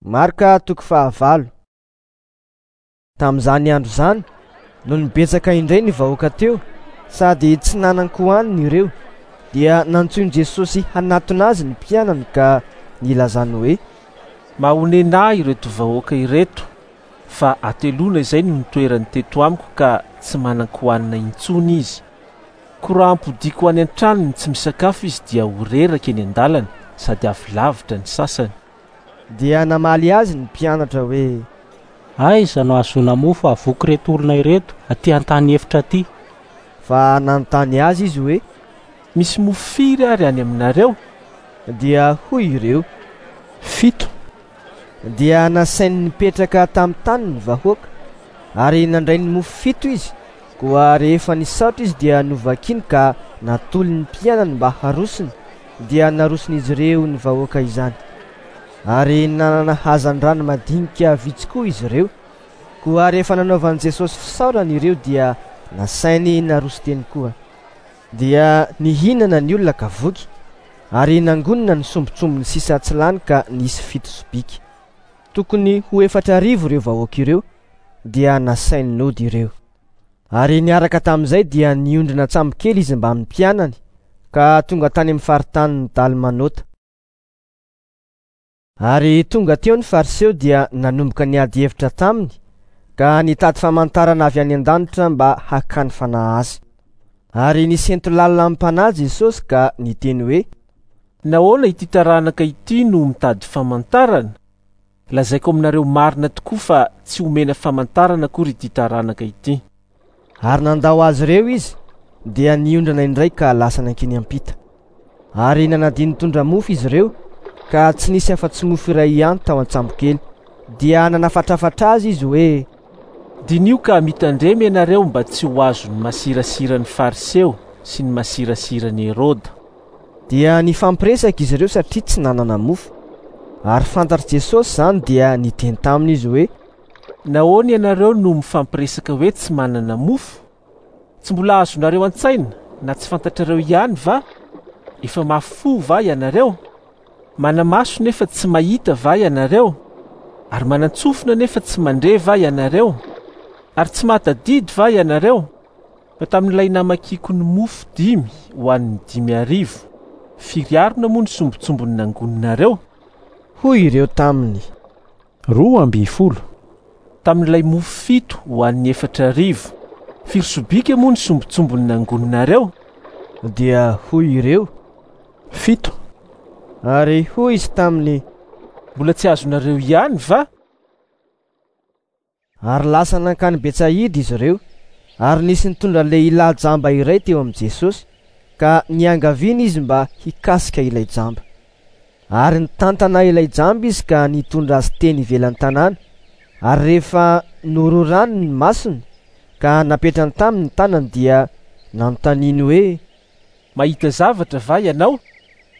Marka toko fahavalo. Tamin'izany andro izany, nony betsaka indray ny vahoaka teo, sady tsy nanan-kohanina ireo, dia nantsoin'i Jesosy hanatona azy ny mpianany ka nilazany hoe: Mahonena ahy ireto vahoaka ireto, fa hateloana izay no nitoerany teto amiko ka tsy manan-kohanina intsony izy. Koa raha ampodiako any an-tranony tsy misakafo izy dia ho reraka eny an-dalana sady avy lavitra ny sasany. Dia namaly azy ny mpianatra hoe: Aiza no hahazoana mofo hahavoky ireto olona ireto aty an-tany efitra aty? Fa nanontany azy izy hoe: Misy mofo firy ary any aminareo? Dia hoy ireo: Fito. Dia nasainy nipetraka tamin'ny tany ny vahoaka, ary nandray ny mofo fito izy. Koa rehefa nisaotra izy dia novakiny ka natolony ny mpianany mba harosony, dia naroson'izy ireo ny vahoaka izany. Ary nanana hazandrano madinika vitsy koa izy ireo. Koa rehefa nanaovan'i Jesosy fisaorana ireo dia nasainy naroso teny koa. Dia nihinana ny olona ka voky, ary nangonina ny sombintsombiny sisa tsy lany ka nisy fito sobika. Tokony ho 4000 ireo vahoaka ireo, dia nasainy nody ireo. Ary niaraka tamin'izay dia niondrina an-tsambokely izy mbamin'ny mpianany, ka tonga tany amin'ny faritanin'i Dalmanota. Ary tonga teo ny Fariseo dia nanomboka niady hevitra taminy, ka nitady famantarana avy any an-danitra mba hakany fanahy azy. Ary nisento lalina amim-panahy Jesosy ka niteny hoe: Nahoana ity taranaka ity no mitady famantarana? Lazaiko aminareo marina tokoa fa tsy homena famantarana akory ity taranaka ity. Ary nandao azy ireo izy, dia niondrana indray ka lasa nankeny am-pita. Ary nanadino nitondra mofo izy ireo, ka tsy nisy afa-tsy mofo iray ihany tao an-tsambokely. Dia nanafatrafatra azy izy hoe: Diniho ka mitandrema ianareo mba tsy ho azon'ny masirasiran'ny Fariseo sy ny masirasiran'i Heroda. Dia nifampiresaka izy ireo satria tsy nanana mofo. Ary fantatr'i Jesosy izany dia niteny taminy izy hoe: Nahoana ianareo no mifampiresaka hoe tsy manana mofo? Tsy mbola azonareo an-tsaina na tsy fantatrareo ihany va? Efa mafy fo va ianareo? Mana-maso nefa tsy mahita va ianareo? Ary manan-tsofina nefa tsy mandre va ianareo? Ary tsy mahatadidy va ianareo? Fa tamin'ilay namakiako ny mofo dimy ho an'ny 5000, firy harona moa ny sombintsombiny nangoninareo? Hoy ireo taminy: 12. Tamin'ilay mofo fito ho an'ny 4000, firy sobika moa ny sombintsombiny nangoninareo? Dia hoy ireo: Fito. Ary hoy izy taminy: Mbola tsy azonareo ihany va? Ary lasa nankany Betsaida izy ireo, ary nisy nitondra lehilahy jamba iray teo amin'i Jesosy, ka niangaviana izy mba hikasika ilay jamba. Ary nitantana ilay jamba izy ka nitondra azy teny ivelan'ny tanàna, ary rehefa nororany ny masony ka napetrany taminy ny tanany dia nanontaniany hoe: Mahita zavatra va ianao?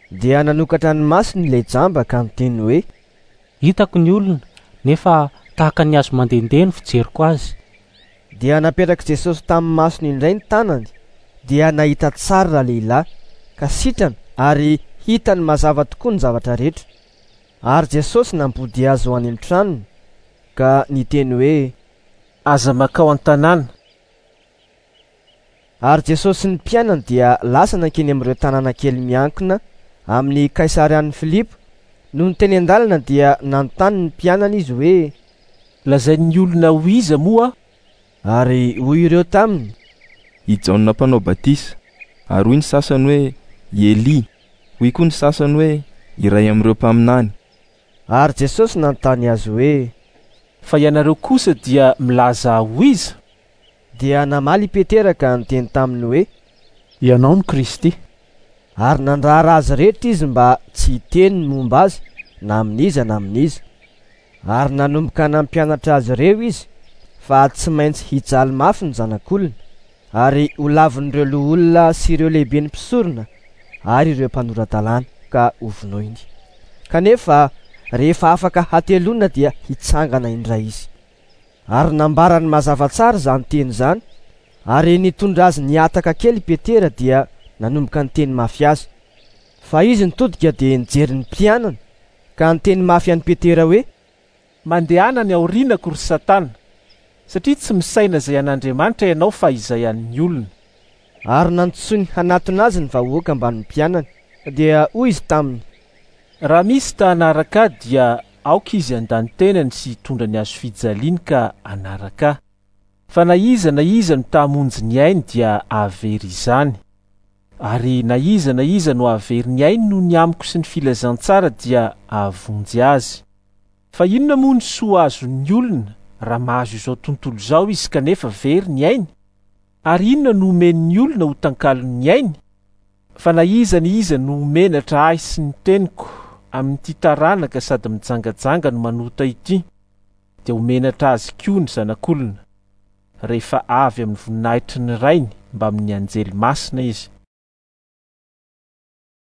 Dia nanokatra ny masony ilay jamba ka niteny hoe: Hitako ny olona, nefa tahaka ny hazo mandehandeha ny fijeriko azy. Dia napetrak'i Jesosy tamin'ny masony indray ny tanany, dia nahita tsara ralehilahy, ka sitrana ary hitany mazava tokoa ny zavatra rehetra. Ary Jesosy nampody azy ho any amin'ny tranony, ka niteny hoe: Aza makao an-tanàna. Ary Jesosy sy ny mpianany dia lasa nankeny amin'ireo tanàna kely miankina amin'ny Kaisarian'i Filipo. Nony teny an-dalana dia nanontany ny mpianany izy hoe: Lazain'ny olona ho iza moa aho? Ary hoy ireo taminy: I Jaona mpanao batisa. Ary hoy ny sasany hoe: I Elia. Hoy koa ny sasany hoe: Iray amin'ireo mpaminany. Ary Jesosy nanontany azy hoe: Fa ianareo kosa dia milaza ho iza? Dia namaly i Petera ka niteny taminy hoe: Ianao no Kristy. Ary nandrara azy rehetra izy mba tsy hiteny ny momba azy na amin'iza na amin'iza. Ary nanomboka nampianatra azy ireo izy fa tsy maintsy hijaly mafy ny zanak'olona, ary ho lavin'ireo loholona sy ireo lehiben'ny mpisorona ary ireo mpanora-dalàna ka hovonoiny. Kanefa rehefa afaka hateloana dia hitsangana indray izy. Ary nambarany mazava tsara izany teny izany, ary nitondra azy nihataka kely i Petera dia nanomboka niteny mafy azy. Fa izy nitodika dia nijery ny mpianany, ka niteny mafy an'i Petera hoe: Mandehana any aorianako, ry Satana, satria tsy misaina izay an'Andriamanitra ianao fa izay an'ny olona. Ary nantsoiny hanatona azy ny vahoaka mbamin'ny mpianany. Dia hoy izy taminy: Raha misy ta hanaraka ahy dia aoka izy handà ny tenany sy hitondra ny hazofijaliany ka hanaraka ahy. Fa na iza na iza no ta hamonjy ny ainy dia hahavery izany. Ary na iza na iza no hahavery ny ainy noho ny amiko sy ny filazantsara dia hahavonjy azy. Fa inona moa ny soa azon'ny olona raha mahazo izao tontolo izao izy kanefa very ny ainy? Ary inona no omen'ny olona ho tankalon'ny ainy? Fa na iza na iza no ho menatra ahy sy ny teniko amin'ity taranaka sady mijangajanga no manota ity, dia ho menatra azy koa ny Zanak'olona, rehefa avy amin'ny voninahitry ny Rainy mbamin'ny anjely masina izy.